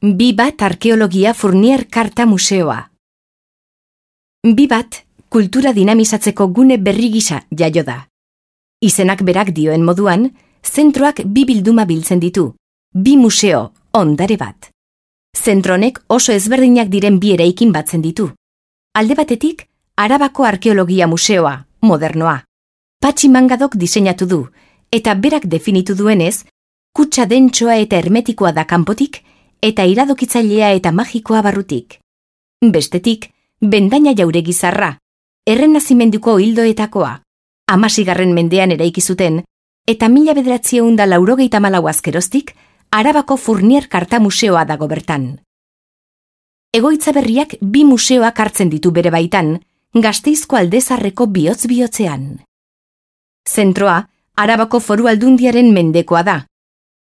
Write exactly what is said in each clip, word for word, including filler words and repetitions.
Bi bat arkeologia Fournier Karta Museoa. Bi bat kultura dinamizatzeko gune berri gisa jaio da. Izenak berak dioen moduan, zentroak bi bilduma biltzen ditu, bi museo, ondare bat. Zentro honek oso ezberdinak diren bi eraikin batzen ditu. Alde batetik, Arabako Arkeologia Museoa, modernoa. Patxi Mangadok diseinatu du, eta berak definitu duenez, kutsa dentsoa eta hermetikoa da kanpotik, eta iradokitzailea eta magikoa barrutik. Bestetik, bendaina jauregi zarra, errenazimenduko hildoetakoa, hamasigarren mendean eraiki zuten, eta mila bederatziehun eta laurogeita hamalau azkeroztik, Arabako Fournier Karta Museoa dago bertan. Egoitza berriak bi museoak hartzen ditu bere baitan, Gasteizko Aldezarreko bihotz-bihotzean. Zentroa, Arabako Foru Aldundiaren mendekoa da.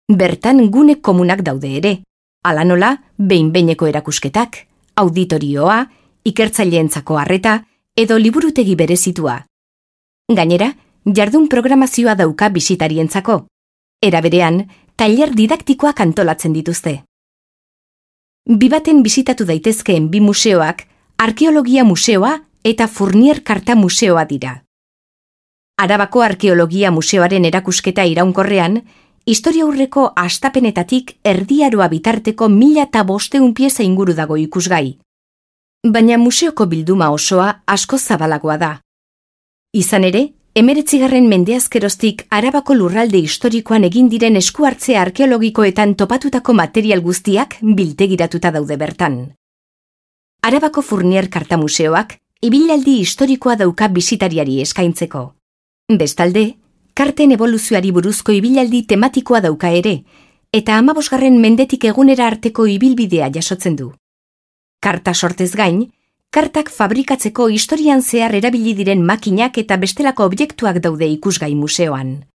Bertan gune komunak daude ere. Hala nola, behin-behineko erakusketak, auditorioa, ikertzaileentzako harreta edo liburutegi berezitua. Gainera, jardun programazioa dauka bisitarientzako. Era berean, tailer didaktikoak antolatzen dituzte. Bi baten bisitatu daitezkeen bi museoak, Arkeologia Museoa eta Fournier Karta Museoa dira. Arabako Arkeologia Museoaren erakusketa iraunkorrean, historiaurreko astapenetatik erdiaroa bitarteko mila eta bosteun pieza inguru dago ikusgai. Baina museoko bilduma osoa asko zabalagoa da. Izan ere, hemeretzigarren mendeazkeroztik Arabako lurralde historikoan egin diren eskuhartze arkeologikoetan topatutako material guztiak biltegiratuta daude bertan. Arabako Fournier Karta Museoak ibilaldi historikoa dauka bisitariari eskaintzeko. Bestalde, karten evoluzioari buruzko ibilaldi tematikoa dauka ere, eta hamabosgarren mendetik egunera arteko ibilbidea jasotzen du. Karta sortez gain, kartak fabrikatzeko historian zehar erabili diren makinak eta bestelako objektuak daude ikusgai museoan.